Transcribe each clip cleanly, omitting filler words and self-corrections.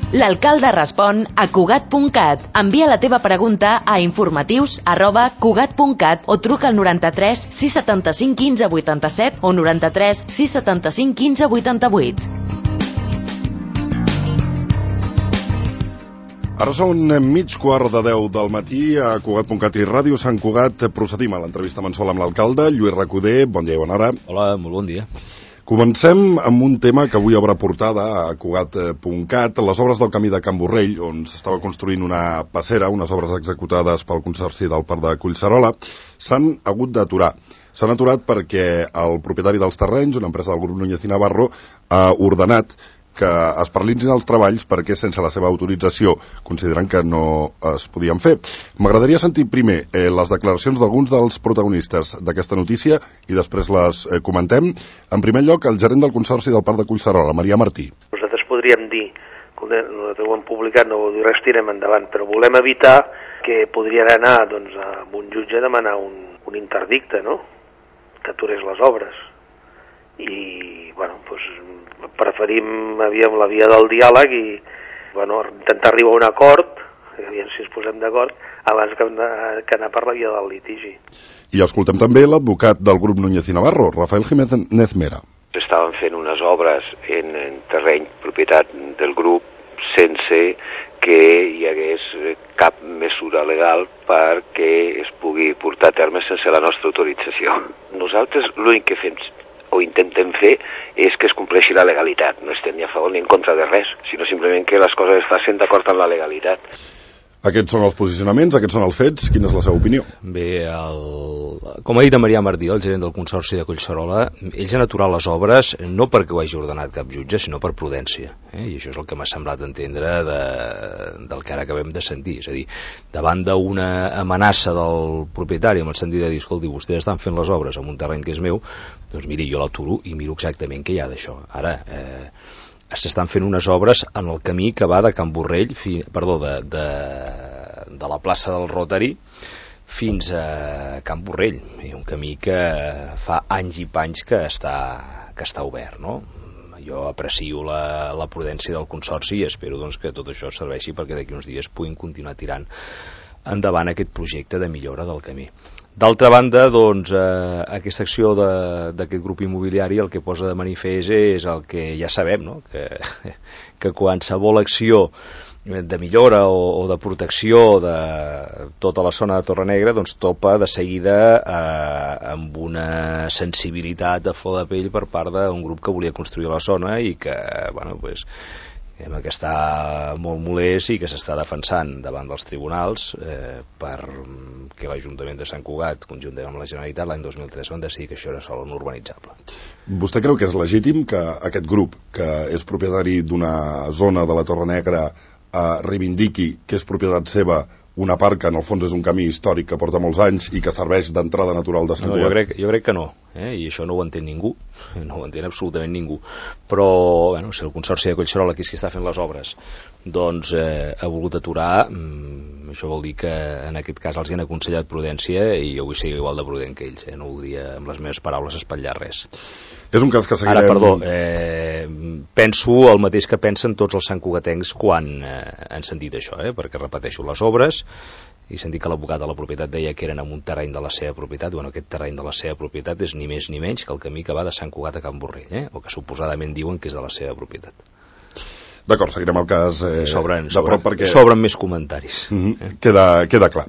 L'alcalde respon a Cugat.cat. Envia la teva pregunta a informatius@cugat.cat o truca al 93 675 15 87 o 93 675 15 88. Ara són 9:15 del matí a Cugat.cat i Ràdio Sant Cugat. Procedim a l'entrevista mensual amb l'alcalde, Lluís Recoder. Bon dia i bona hora. Hola, molt bon dia. Comencem amb un tema que avui obre portada a Cugat.cat, les obres del camí de Can Borrell, on s'estava construint una passera, unes obres executades pel Consorci del Parc de Collserola, s'han hagut d'aturar. S'han aturat perquè el propietari dels terrenys, una empresa del grup Núñez i Navarro, ha ordenat que es paralitzin els treballs perquè sense la seva autorització consideren que no es podien fer. M'agradaria sentir primer les declaracions d'alguns dels protagonistes d'aquesta notícia i després les comentem. En primer lloc, el gerent del Consorci del Parc de Collserola, Marià Martí. Nosaltres podríem dir, nosaltres ho hem publicat, no vol dir res, tirem endavant, però volem evitar que podrien anar doncs, a un jutge a demanar un interdicte, no?, que aturés les obres. I, bueno, doncs, preferim la via del diàleg i, bueno, intentar arribar a un acord, aviam si ens posem d'acord, abans que anar per la via del litigi. I escoltem també l'advocat del grup Núñez i Navarro, Rafael Jiménez Mera. Estaven fent unes obres en terreny propietat del grup sense que hi hagués cap mesura legal perquè es pugui portar a terme sense la nostra autorització. Nosaltres l'únic que fem o intentem fer és que es compleixi la legalitat. No estem ni a favor ni en contra de res, sinó simplement que les coses es facin d'acord amb la legalitat. Aquests són els posicionaments, aquests són els fets. Quina és la seva opinió? Bé, com ha dit en Marià Martí, el gerent del Consorci de Collserola, ells han aturat les obres no perquè ho hagi ordenat cap jutge, sinó per prudència. I això és el que m'ha semblat entendre del que ara acabem de sentir. És a dir, davant d'una amenaça del propietari, amb el sentit de dir, escolti, vostès estan fent les obres en un terreny que és meu, doncs miri, jo l'aturo i miro exactament què hi ha d'això. Ara, s'estan fent unes obres en el camí que va de Can Borrell, de la plaça del Rotary fins a Can Borrell, un camí que fa anys i panys que està obert, no? Jo aprecio la prudència del Consorci i espero doncs, que tot això serveixi perquè d'aquí uns dies puguin continuar tirant endavant aquest projecte de millora del camí. D'altra banda, doncs, aquesta acció d'aquest grup immobiliari el que posa de manifest és el que ja sabem, no? que qualsevol acció de millora o de protecció de tota la zona de Torrenegra doncs topa de seguida amb una sensibilitat a flor de pell per part d'un grup que volia construir la zona i que, bueno, pues, que està molt molest i que s'està defensant davant dels tribunals perquè l'Ajuntament de Sant Cugat, conjuntament amb la Generalitat, l'any 2003 van decidir que això era sol no urbanitzable. Vostè creu que és legítim que aquest grup, que és propietari d'una zona de la Torrenegra, reivindiqui que és propietat seva una part que en el fons és un camí històric que porta molts anys i que serveix d'entrada natural de Sant Cugat? Jo crec que no, i això no ho entén ningú, no ho entén absolutament ningú, però bueno, si el Consorci de Collserola, que és qui està fent les obres, doncs ha volgut aturar, això vol dir que en aquest cas els hi han aconsellat prudència i jo vull ser igual de prudent que ells, no voldria amb les meves paraules espatllar res. És un cas que seguirem... Ara, perdó, penso el mateix que pensen tots els santcugatencs quan han sentit això, perquè repeteixo, les obres, i sentit que l'advocat de la propietat deia que eren en un terreny de la seva propietat. Bueno, aquest terreny de la seva propietat és ni més ni menys que el camí que va de Sant Cugat a Can Borrell, o que suposadament diuen que és de la seva propietat. D'acord, seguirem el cas de prop perquè... Sobren més comentaris. Queda clar.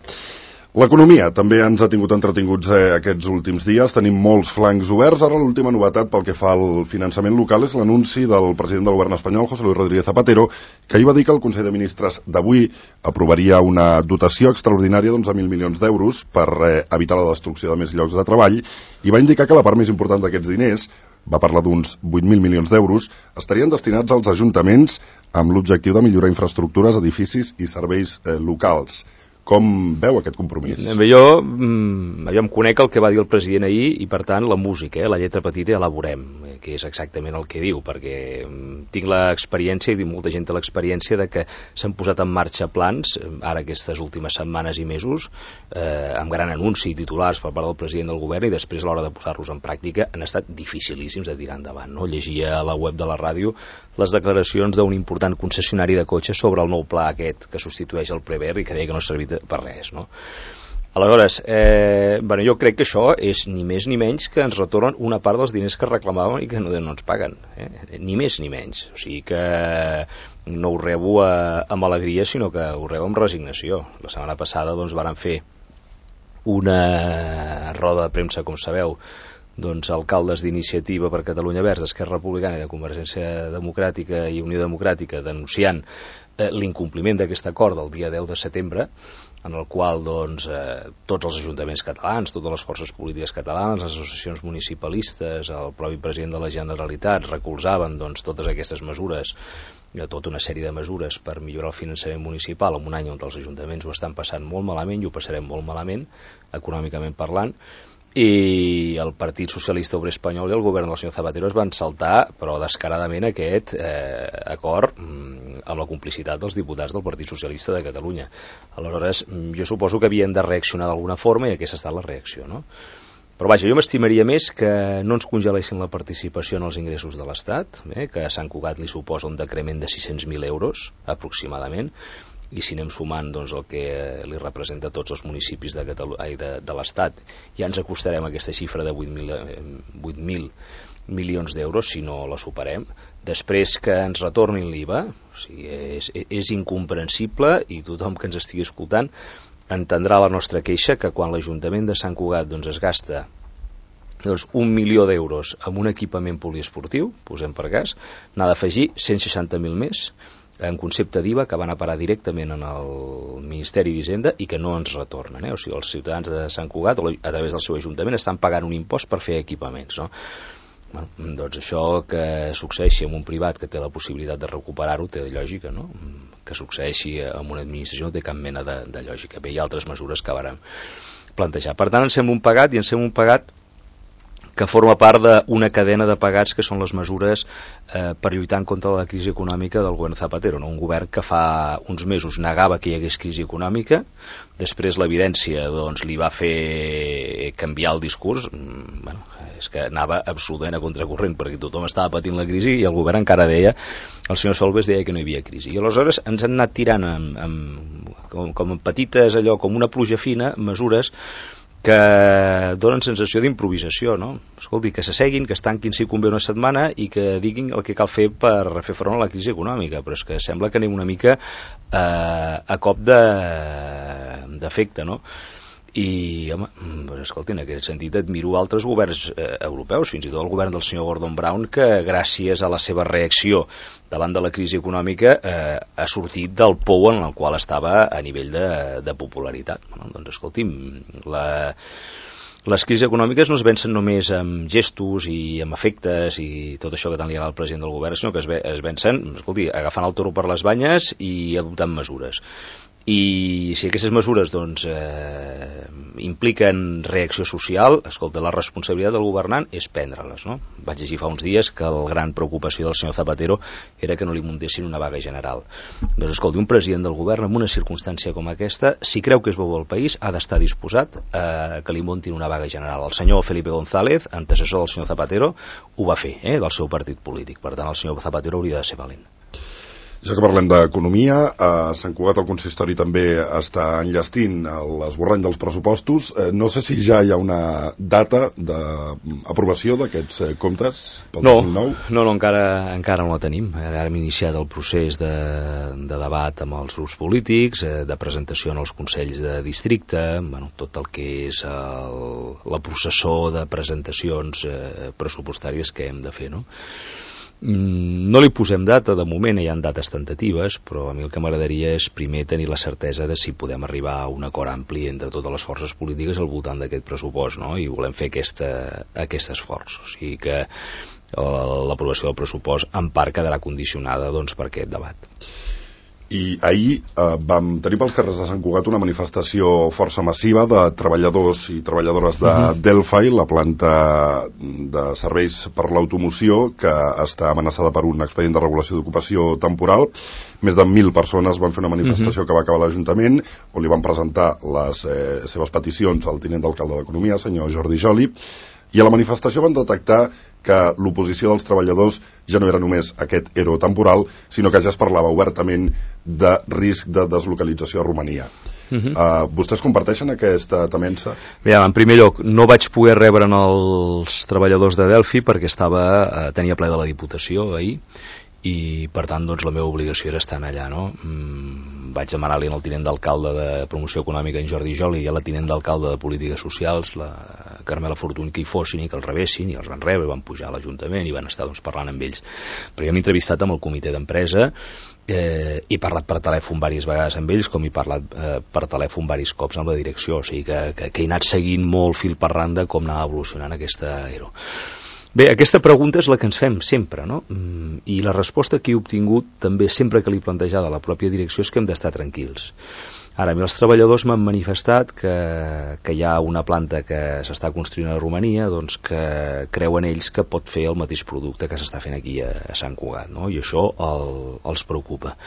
L'economia també ens ha tingut entretinguts aquests últims dies. Tenim molts flancs oberts. Ara l'última novetat pel que fa al finançament local és l'anunci del president del govern espanyol, José Luis Rodríguez Zapatero, que ahir va dir que el Consell de Ministres d'avui aprovaria una dotació extraordinària d'11.000 milions d'euros per evitar la destrucció de més llocs de treball i va indicar que la part més important d'aquests diners, va parlar d'uns 8.000 milions d'euros, estarien destinats als ajuntaments amb l'objectiu de millorar infraestructures, edificis i serveis locals. Com veu aquest compromís? Jo em conec el que va dir el president ahir i, per tant, la música, la lletra petita ja la veurem. que és exactament el que diu, perquè tinc l'experiència, i molta gent té l'experiència de que s'han posat en marxa plans, ara aquestes últimes setmanes i mesos, amb gran anunci i titulars per part del president del govern, i després a l'hora de posar-los en pràctica han estat dificilíssims de tirar endavant, no? Llegia a la web de la ràdio les declaracions d'un important concessionari de cotxes sobre el nou pla aquest que substitueix el Prever i que deia que no servia per res, no? Aleshores, jo crec que això és ni més ni menys que ens retornen una part dels diners que reclamaven i que no ens paguen, ni més ni menys. O sigui que no ho rebo amb alegria, sinó que ho rebo amb resignació. La setmana passada varen fer una roda de premsa, com sabeu, alcaldes d'Iniciativa per Catalunya Verds, d'Esquerra Republicana i de Convergència Democràtica i Unió Democràtica denunciant l'incompliment d'aquest acord del dia 10 de setembre, en el qual tots els ajuntaments catalans, totes les forces polítiques catalanes, les associacions municipalistes, el propi president de la Generalitat recolzaven totes aquestes mesures, tota una sèrie de mesures per millorar el finançament municipal en un any on els ajuntaments ho estan passant molt malament i ho passarem molt malament, econòmicament parlant, i el Partit Socialista Obrer Espanyol i el govern del senyor Zapatero es van saltar, però descaradament, aquest acord amb la complicitat dels diputats del Partit Socialista de Catalunya. Aleshores, jo suposo que havien de reaccionar d'alguna forma i aquesta ha estat la reacció, no? Però vaja, jo m'estimaria més que no ens congelessin la participació en els ingressos de l'Estat, que a Sant Cugat li suposa un decrement de 600.000 euros, aproximadament, i si anem sumant el que li representa a tots els municipis de l'Estat, ja ens acostarem a aquesta xifra de 8.000 milions d'euros, si no la superem. Després que ens retornin l'IVA, o sigui, és incomprensible, i tothom que ens estigui escoltant entendrà la nostra queixa, que quan l'Ajuntament de Sant Cugat es gasta 1 milió d'euros en un equipament poliesportiu, posem per cas, n'ha d'afegir 160.000 més en concepte d'IVA que van a parar directament en el Ministeri d'Hisenda i que no ens retornen, O sigui, els ciutadans de Sant Cugat, a través del seu ajuntament, estan pagant un impost per fer equipaments, no? Això que succeeixi en un privat que té la possibilitat de recuperar-ho té lògica, no? Que succeeixi en una administració no té cap mena de lògica. Bé, hi ha altres mesures que vàrem plantejar. Per tant, ens sembla un pagat, i ens sembla un pagat que forma part d'una cadena de pagats que són les mesures per lluitar en contra de la crisi econòmica del govern Zapatero, no? Un govern que fa uns mesos negava que hi hagués crisi econòmica, després l'evidència li va fer canviar el discurs, és que anava absolutament a contracorrent perquè tothom estava patint la crisi i el govern encara deia, el senyor Solbes deia que no hi havia crisi, i aleshores ens han anat tirant com en petites, allò com una pluja fina, mesures que donen sensació d'improvisació, no? Escolti, que s'asseguin, que es tanquin si convé una setmana i que diguin el que cal fer per fer front a la crisi econòmica, però és que sembla que anem una mica a cop d'efecte, no? I, home, escolti, en aquest sentit admiro altres governs europeus, fins i tot el govern del senyor Gordon Brown, que gràcies a la seva reacció davant de la crisi econòmica ha sortit del pou en el qual estava a nivell de popularitat. Doncs escolti'm, les crisis econòmiques no es vencen només amb gestos i amb efectes i tot això que tant li agrada al president del govern, sinó que es vencen, escolti, agafant el toro per les banyes i adoptant mesures. I si aquestes mesures impliquen reacció social, escolta, la responsabilitat del governant és prendre-les, no? Vaig llegir fa uns dies que la gran preocupació del senyor Zapatero era que no li muntessin una vaga general. Doncs escolta, un president del govern en una circumstància com aquesta, si creu que és bo al país, ha d'estar disposat a que li muntin una vaga general. El senyor Felipe González, antecessor del senyor Zapatero, ho va fer, del seu partit polític. Per tant, el senyor Zapatero hauria de ser valent. Ja que parlem d'economia, a Sant Cugat el consistori també està enllestint l'esborrany dels pressupostos. No sé si ja hi ha una data d'aprovació d'aquests comptes pel 2009. No, encara no la tenim. Ara hem iniciat el procés de debat amb els grups polítics, de presentació en els consells de districte, tot el que és la processó de presentacions pressupostàries que hem de fer, no? No li posem data, de moment hi ha dates tentatives, però a mi el que m'agradaria és primer tenir la certesa de si podem arribar a un acord ampli entre totes les forces polítiques al voltant d'aquest pressupost, no? I volem fer aquest esforç, o sigui que l'aprovació del pressupost en part quedarà condicionada per aquest debat. I ahir vam tenir pels carrers de Sant Cugat una manifestació força massiva de treballadors i treballadores de Delphi, la planta de serveis per l'automoció, que està amenaçada per un expedient de regulació d'ocupació temporal. Més de 1.000 persones van fer una manifestació que va acabar a l'Ajuntament, on li van presentar les seves peticions al tinent d'alcalde d'Economia, senyor Jordi Joli, i a la manifestació van detectar que l'oposició dels treballadors ja no era només aquest ERO temporal, sinó que ja es parlava obertament de risc de deslocalització a Romania. Vostès comparteixen aquesta temença? Bé, en primer lloc, no vaig poder rebre els treballadors de Delphi perquè tenia ple de la Diputació ahir, i per tant doncs la meva obligació era estar allà, no? Vaig demanar-li al tinent d'alcalde de Promoció Econòmica, en Jordi Joli, i a la tinent d'alcalde de Polítiques Socials, la Carmela Fortuny, que hi fossin i que els rebessin, i els van rebre, van pujar a l'Ajuntament i van estar doncs, parlant amb ells. Però jo m'he entrevistat amb el comitè d'empresa, he parlat per telèfon diverses vegades amb ells, com he parlat per telèfon diversos cops amb la direcció, o sigui que he anat seguint molt fil per randa com anava evolucionant aquesta ERO. Bé, aquesta pregunta és la que ens fem sempre, no? I la resposta que he obtingut també sempre que l'he plantejada a la pròpia direcció és que hem d'estar tranquils. Ara, els treballadors m'han manifestat que hi ha una planta que s'està construint a Romania, doncs que creuen ells que pot fer el mateix producte que s'està fent aquí a Sant Cugat, no? I això els preocupa.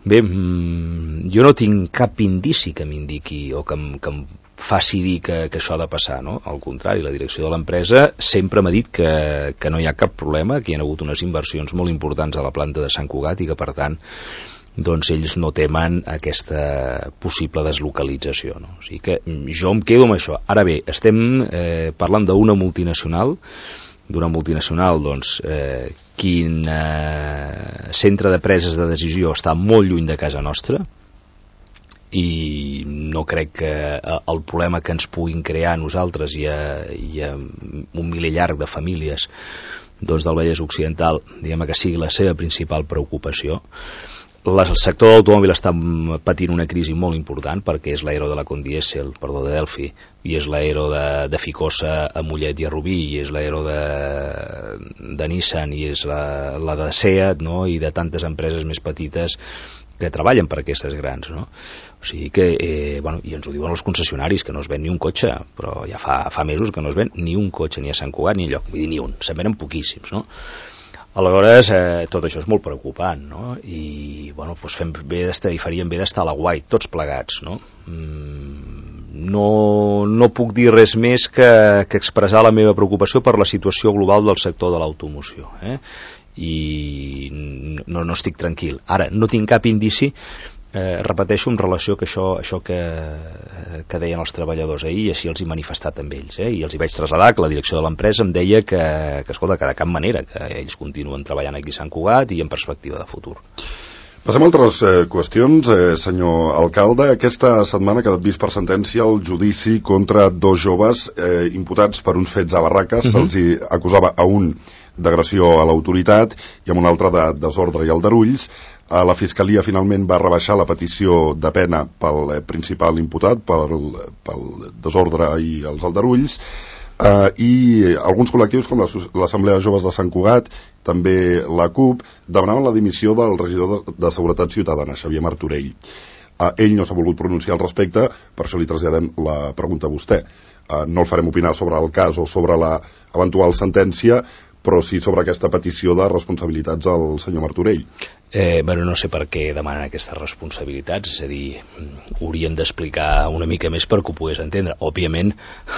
Bé, jo no tinc cap indici que m'indiqui o que em faci dir que això ha de passar, no? Al contrari, la direcció de l'empresa sempre m'ha dit que no hi ha cap problema, que hi ha hagut unes inversions molt importants a la planta de Sant Cugat i que, per tant, doncs ells no temen aquesta possible deslocalització, no? O sigui que jo em quedo amb això. Ara bé, estem parlant d'una multinacional, doncs, quin centre de preses de decisió està molt lluny de casa nostra, i no crec que el problema que ens puguin crear a nosaltres i a un miler llarg de famílies doncs del Vallès Occidental, diguem que sigui la seva principal preocupació. El sector de l'automòbil està patint una crisi molt important perquè és l'aero de la Condiesel, de Delphi, i és l'aero de Ficosa a Mollet i a Rubí, i és l'aero de Nissan, i és la de Seat, no? I de tantes empreses més petites que treballen per aquestes grans, no? O sigui que, i ens ho diuen els concessionaris, que no es ven ni un cotxe, però ja fa mesos que no es ven ni un cotxe ni a Sant Cugat ni enlloc, vull dir ni un, se'n venen poquíssims, no? Aleshores, tot això és molt preocupant, no? I, doncs faríem bé d'estar a la guai, tots plegats, no? No puc dir res més que expressar la meva preocupació per la situació global del sector de l'automoció, i no estic tranquil. Ara, no tinc cap indici, repeteixo, en relació que això que deien els treballadors ahir, i així els he manifestat amb ells, i els hi vaig traslladar que la direcció de l'empresa em deia que escolta, que de cap manera, que ells continuen treballant aquí a Sant Cugat i en perspectiva de futur. Passem a altres qüestions, senyor alcalde. Aquesta setmana ha quedat vist per sentència el judici contra dos joves imputats per uns fets a Barraques. Se'ls acusava a un d'agressió a l'autoritat i amb un altre de desordre i aldarulls. La Fiscalia finalment va rebaixar la petició de pena pel principal imputat, pel desordre i els aldarulls, i alguns col·lectius com l'Assemblea de Joves de Sant Cugat, també la CUP, demanaven la dimissió del regidor de Seguretat Ciutadana, Xavier Martorell. Ell no s'ha volgut pronunciar al respecte, per això li traslladem la pregunta a vostè. No el farem opinar sobre el cas o sobre l'eventual sentència, però sí sobre aquesta petició de responsabilitats al senyor Martorell. No sé per què demanen aquestes responsabilitats, és a dir, haurien d'explicar una mica més per que ho pogués entendre. Òbviament,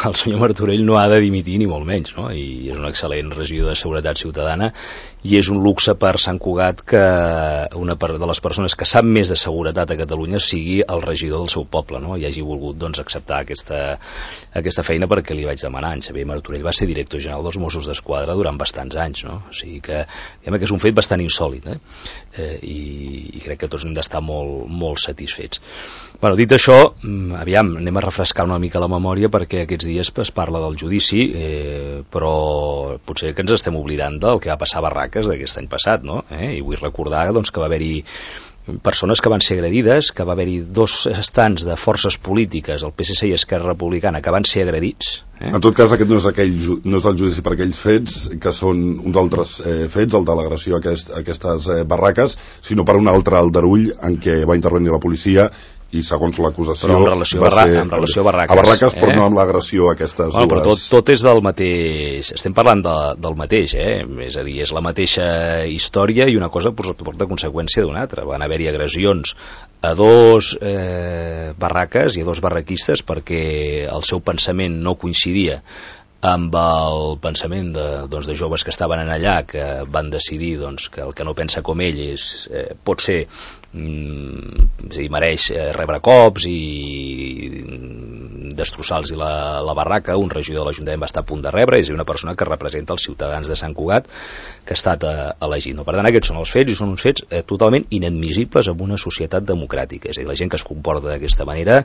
el senyor Martorell no ha de dimitir ni molt menys, no? I és un excel·lent regidor de Seguretat Ciutadana i és un luxe per Sant Cugat que una de les persones que sap més de seguretat a Catalunya sigui el regidor del seu poble, no? I hagi volgut doncs, acceptar aquesta feina perquè li vaig demanar. En Xavier Martorell va ser director general dels Mossos d'Esquadra durant bastants anys, no? O sigui que és un fet bastant insòlit, i crec que tots hem d'estar molt, molt satisfets. Dit això, anem a refrescar una mica la memòria perquè aquests dies es parla del judici, però potser que ens estem oblidant del que va passar a Barraques d'aquest any passat, no? I vull recordar doncs, que va haver-hi persones que van ser agredides, que va haver-hi 2 estants de forces polítiques, el PSC i Esquerra Republicana, que van ser agredits. En tot cas, aquest no és el judici per aquells fets, que són uns altres fets, el de l'agressió a aquestes barraques, sinó per un altre aldarull en què va intervenir la policia i segons l'acusació en relació a Barraques, a Barraques, però no amb l'agressió a aquestes dues. Però tot és del mateix, estem parlant del mateix, és a dir, és la mateixa història i una cosa porta conseqüència d'una altra. Van haver-hi agressions a 2 barraques i a 2 barraquistes perquè el seu pensament no coincidia amb el pensament de joves que estaven allà, que van decidir que el que no pensa com ell pot ser, mereix rebre cops i destrossar-los la barraca. Un regidor de l'Ajuntament va estar a punt de rebre, és una persona que representa els ciutadans de Sant Cugat, que ha estat elegit. Per tant, aquests són els fets, i són uns fets totalment inadmissibles en una societat democràtica. És a dir, la gent que es comporta d'aquesta manera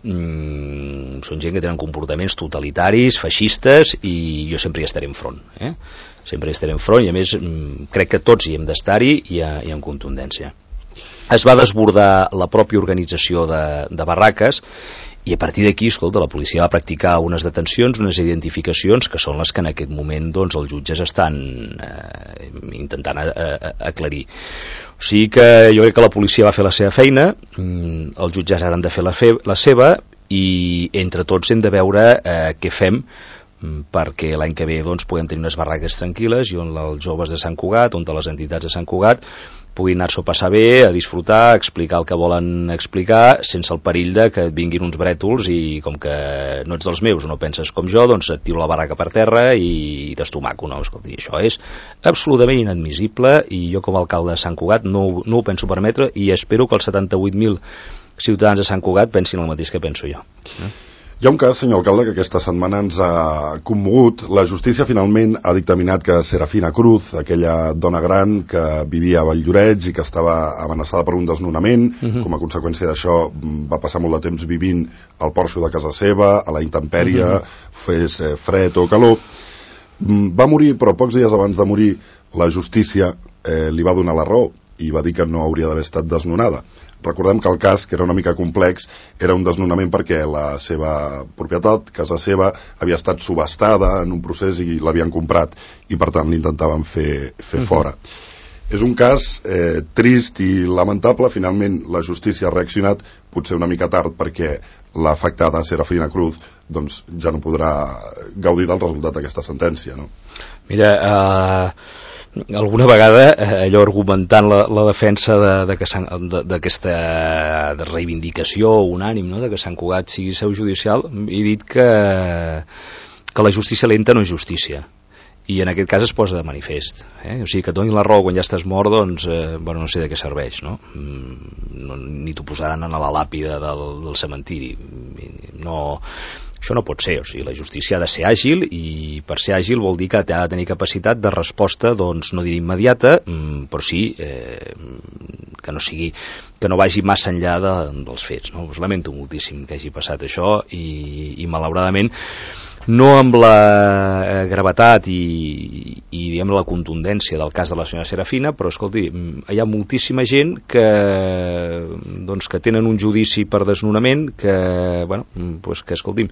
són gent que tenen comportaments totalitaris, feixistes, i jo sempre hi estaré enfront. Sempre hi estaré enfront, i a més crec que tots hi hem d'estar-hi i amb contundència. Es va desbordar la pròpia organització de barraques, i a partir d'aquí, escolta, la policia va practicar unes detencions, unes identificacions, que són les que en aquest moment els jutges estan intentant aclarir. O sigui que jo crec que la policia va fer la seva feina, els jutges ara han de fer la seva, i entre tots hem de veure què fem perquè l'any que ve puguem tenir unes barraques tranquil·les i on els joves de Sant Cugat, on les entitats de Sant Cugat puguin anar-s'ho a passar bé, a disfrutar, a explicar el que volen explicar, sense el perill de que et vinguin uns brètols i com que no ets dels meus o no penses com jo, et tiro la barraca per terra i t'estomaco. No, escolti, això és absolutament inadmissible, i jo com a alcalde de Sant Cugat no ho penso permetre, i espero que els 78.000 ciutadans de Sant Cugat pensin el mateix que penso jo. Hi ha un cas, senyor alcalde, que aquesta setmana ens ha commogut. La justícia finalment ha dictaminat que Serafina Cruz, aquella dona gran que vivia a Valldoreix i que estava amenaçada per un desnonament, com a conseqüència d'això va passar molt de temps vivint al porxo de casa seva, a la intempèrie, fes fred o calor. Va morir, però pocs dies abans de morir la justícia li va donar la raó i va dir que no hauria d'haver estat desnonada. Recordem que el cas, que era una mica complex, era un desnonament perquè la seva propietat, casa seva, havia estat subhastada en un procés i l'havien comprat, i per tant l'intentaven fer fora. És un cas trist i lamentable. Finalment la justícia ha reaccionat, potser una mica tard, perquè l'afectada Serafina Cruz ja no podrà gaudir del resultat d'aquesta sentència, no? Mira, alguna vegada allò argumentant la defensa d'aquesta reivindicació unànim, no?, de que Sant Cugat sigui seu judicial, he dit que la justícia lenta no és justícia, i en aquest cas es posa de manifest, o sigui, que et donin la raó quan ja estàs mort, no sé de què serveix, no? Ni t'ho posaran a la làpida del cementiri. No, això no pot ser. O sigui, la justícia ha de ser àgil, i per ser àgil vol dir que ha de tenir capacitat de resposta, no diré immediata, però sí que no sigui, que no vagi massa enllà dels fets, no? Lamento moltíssim que hagi passat això, i malauradament no amb la gravetat i diguem la contundència del cas de la senyora Serafina, però escolti, hi ha moltíssima gent que tenen un judici per desnonament que escolti'm,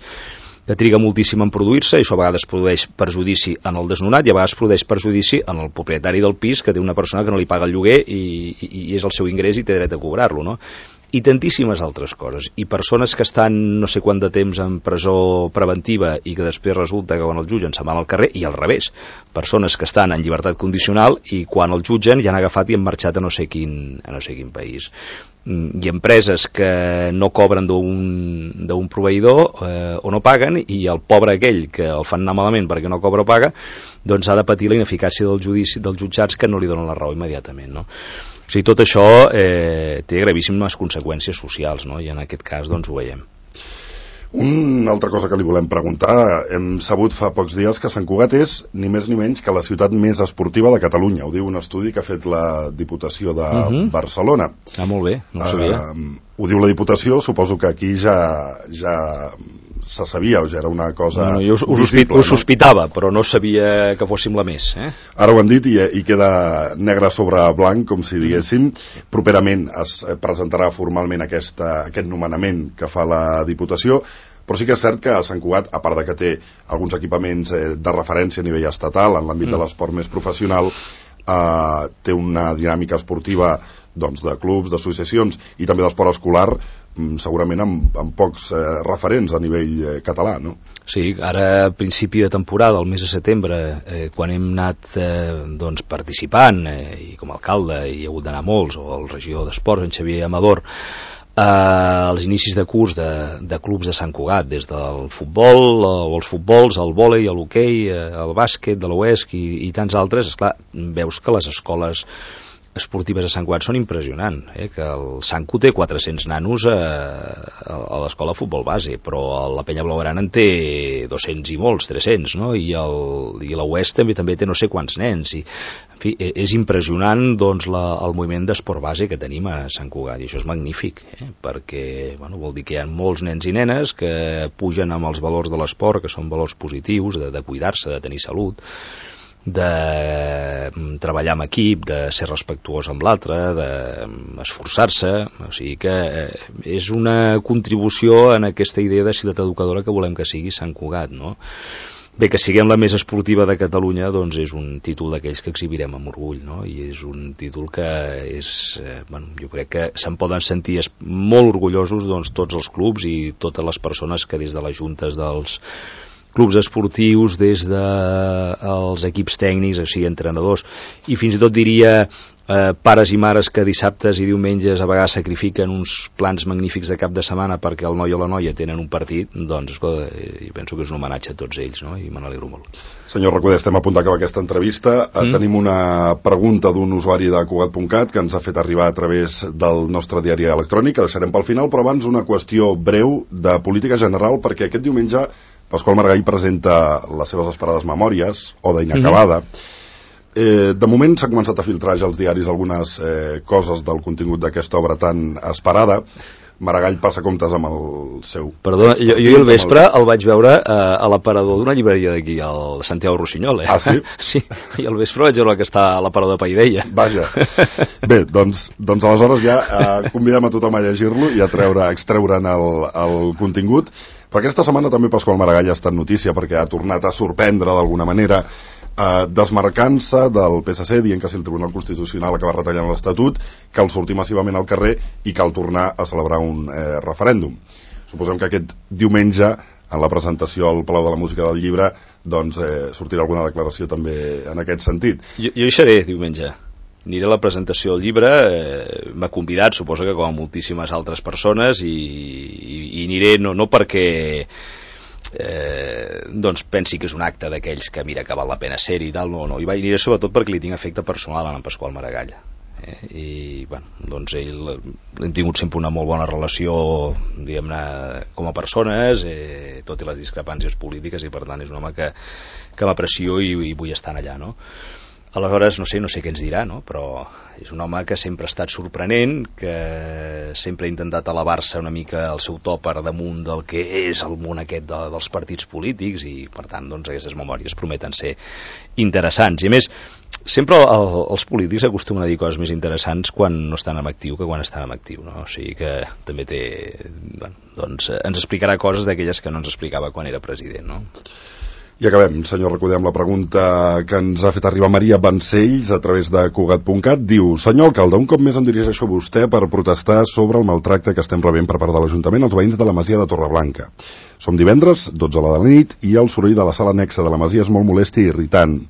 que triga moltíssim en produir-se, i això a vegades produeix perjudici en el desnonat i a vegades produeix perjudici en el propietari del pis, que té una persona que no li paga el lloguer i és el seu ingrés i té dret a cobrar-lo, no? I tantíssimes altres coses, i persones que estan no sé quant de temps en presó preventiva i que després resulta que quan el jutgen se'n van al carrer, i al revés, persones que estan en llibertat condicional i quan el jutgen ja han agafat i han marxat a no sé quin país. I empreses que no cobren d'un proveïdor o no paguen, i el pobre aquell que el fan anar malament perquè no cobra o paga, ha de patir la ineficàcia del judici dels jutjats, que no li donen la raó immediatament, no? O sigui, tot això té gravíssimes conseqüències socials, no? I en aquest cas ho veiem. Una altra cosa que li volem preguntar: hem sabut fa pocs dies que Sant Cugat és ni més ni menys que la ciutat més esportiva de Catalunya. Ho diu un estudi que ha fet la Diputació de Barcelona. Molt bé, no ho sabia. Ho diu la Diputació, suposo que aquí ja se sabia, o ja era una cosa... Jo ho sospitava, però no sabia que fóssim la més. Ara ho han dit i queda negre sobre blanc, com si diguéssim. Properament es presentarà formalment aquest nomenament que fa la Diputació, però sí que és cert que Sant Cugat, a part de que té alguns equipaments de referència a nivell estatal, en l'àmbit de l'esport més professional, té una dinàmica esportiva doncs, de clubs, d'associacions i també d'esport escolar, segurament amb pocs referents a nivell català, no? Sí, ara a principi de temporada, el mes de setembre, quan hem anat doncs, participant, i com a alcalde hi ha hagut d'anar molts, o el regidor d'Esports, en Xavier Amador, als inicis de curs de clubs de Sant Cugat, des del futbol o els futbols, el vòlei, l'hoquei, el bàsquet de l'Oesc i tants altres, esclar, veus que les escoles esportives a Sant Cugat són impressionants, que el Sancu té 400 nanos a l'escola de futbol base, però la Penya Blaugrana en té 200 i molts, 300, no? I la Oest també té no sé quants nens, i en fi, és impressionant doncs, el moviment d'esport base que tenim a Sant Cugat, i això és magnífic, perquè bueno, vol dir que hi ha molts nens i nenes que pugen amb els valors de l'esport, que són valors positius, de cuidar-se, de tenir salut, de treballar amb equip, de ser respectuós amb l'altre, d'esforçar-se, o sigui que és una contribució en aquesta idea de ciutat educadora que volem que sigui Sant Cugat, no? Bé, que siguem la més esportiva de Catalunya, doncs és un títol d'aquells que exhibirem amb orgull, no? I és un títol que és, bueno, jo crec que se'n poden sentir molt orgullosos doncs, tots els clubs i totes les persones que des de les juntes dels clubs esportius, des dels equips tècnics, o sigui, entrenadors, i fins i tot diria pares i mares que dissabtes i diumenges a vegades sacrifiquen uns plans magnífics de cap de setmana perquè el noi o la noia tenen un partit, doncs, escolta, jo penso que és un homenatge a tots ells, no? I me n'alegro molt. Senyor Recoder, estem a punt d'acabar aquesta entrevista. Tenim una pregunta d'un usuari de Cugat.cat que ens ha fet arribar a través del nostre diari electrònic, que deixarem pel final, però abans una qüestió breu de política general, perquè aquest diumenge Pasqual Maragall presenta les seves esperades memòries, Oda inacabada. De moment s'ha començat a filtrar ja als diaris algunes coses del contingut d'aquesta obra tan esperada. Maragall passa comptes amb el seu... Perdona, jo el vespre el vaig veure a l'aparador d'una llibreria d'aquí, al Santiago Rossinyol. Ah, sí? Sí, i al vespre vaig veure que està a l'aparador de Paideia. Vaja. Bé, doncs aleshores ja convidem a tothom a llegir-lo i a extreure'n el contingut. Però aquesta setmana també Pasqual Maragall ha estat notícia perquè ha tornat a sorprendre d'alguna manera, desmarcant-se del PSC, dient que si el Tribunal Constitucional acaba retallant l'Estatut, cal sortir massivament al carrer i cal tornar a celebrar un referèndum. Suposem que aquest diumenge, en la presentació al Palau de la Música del Llibre, doncs sortirà alguna declaració també en aquest sentit. Jo hi seré diumenge. Aniré a la presentació del llibre, m'ha convidat, suposo que com a moltíssimes altres persones, i aniré no perquè doncs pensi que és un acte d'aquells que mira que val la pena ser-hi i tal, no, hi aniré sobretot perquè li tinc afecte personal a en Pasqual Maragall. I bueno, doncs hem tingut sempre una molt bona relació, diguem-ne, com a persones, tot i les discrepàncies polítiques, i per tant és un home que m'aprecio i vull estar allà, no? Aleshores, no sé què ens dirà, no? Però és un home que sempre ha estat sorprenent, que sempre ha intentat elevar-se una mica el seu to per damunt del que és el món aquest dels partits polítics, i per tant doncs, aquestes memòries prometen ser interessants. I a més, sempre els polítics acostumen a dir coses més interessants quan no estan en actiu que quan estan en actiu, no? O sigui que també doncs ens explicarà coses d'aquelles que no ens explicava quan era president, no? I acabem, senyor Recoder, amb la pregunta que ens ha fet arribar Maria Vancells a través de Cugat.cat. Diu: senyor alcalde, un cop més em dirigeixo a vostè per protestar sobre el maltracte que estem rebent per part de l'Ajuntament als veïns de la Masia de Torreblanca. Som divendres, 12 de la nit, i el soroll de la sala anexa de la Masia és molt molest i irritant.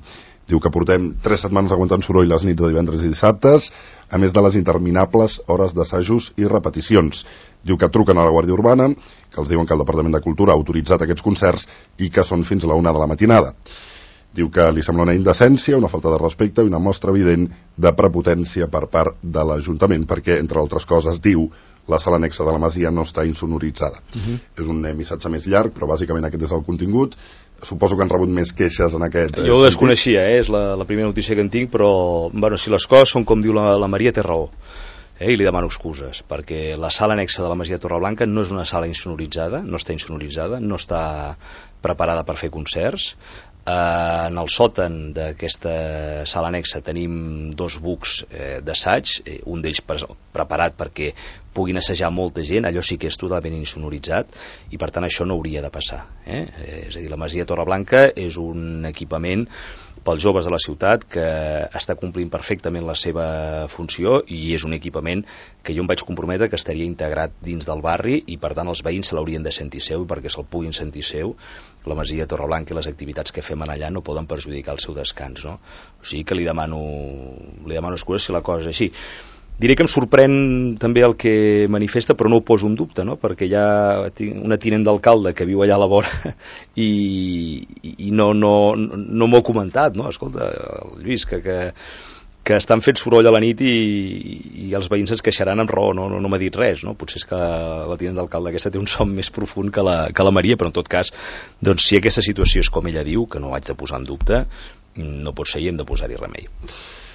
Diu que portem 3 setmanes aguantant soroll les nits de divendres i dissabtes, a més de les interminables hores d'assajos i repeticions. Diu que truquen a la Guàrdia Urbana, que els diuen que el Departament de Cultura ha autoritzat aquests concerts i que són fins a la 1 de la matinada. Diu que li sembla una indecència, una falta de respecte i una mostra evident de prepotència per part de l'Ajuntament, perquè, entre altres coses, diu, la sala anexa de la Masia no està insonoritzada. És un missatge més llarg, però bàsicament aquest és el contingut. Suposo que han rebut més queixes en aquest Jo ho desconeixia, és la primera notícia que en tinc, però bueno, si les coses són com diu la Maria, té raó. I li demano excuses, perquè la sala anexa de la Masia Torreblanca no és una sala insonoritzada, no està insonoritzada, no està preparada per fer concerts. En el sòtan d'aquesta sala anexa tenim 2 bucs d'assaig, un d'ells preparat perquè puguin assajar molta gent, allò sí que és totalment insonoritzat, i per tant això no hauria de passar. És a dir, la Masia Torreblanca és un equipament pels joves de la ciutat que està complint perfectament la seva funció, i és un equipament que jo em vaig comprometre que estaria integrat dins del barri, i per tant els veïns se l'haurien de sentir seu, i perquè se'l puguin sentir seu, la Masia Torreblanca i les activitats que fem allà no poden perjudicar el seu descans, no? O sigui que li demano excuses si la cosa és així. Diré que em sorprèn també el que manifesta, però no ho poso en dubte, no? Perquè hi ha una tinent d'alcalde que viu allà a la vora i no m'ho ha comentat, no? Escolta, Lluís, que estan fent soroll a la nit i els veïns es queixaran amb raó, no m'ha dit res, no? Potser és que la tinent d'alcalde aquesta té un son més profund que la Maria, però en tot cas, doncs, si aquesta situació és com ella diu, que no ho haig de posar en dubte, no pot ser i hem de posar-hi remei.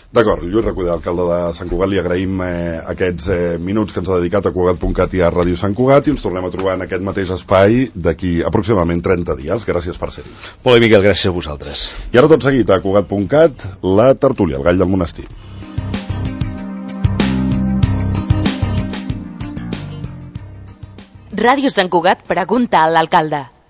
D'acord, Lluís Recoder, alcalde de Sant Cugat, li agraïm aquests minuts que ens ha dedicat a Cugat.cat i a Ràdio Sant Cugat, i ens tornem a trobar en aquest mateix espai d'aquí aproximadament 30 dies. Gràcies per ser-hi. Molt bé, Miquel, gràcies a vosaltres. I ara tot seguit a Cugat.cat, la tertúlia, el gall del monestir. Ràdio Sant Cugat pregunta a l'alcalde.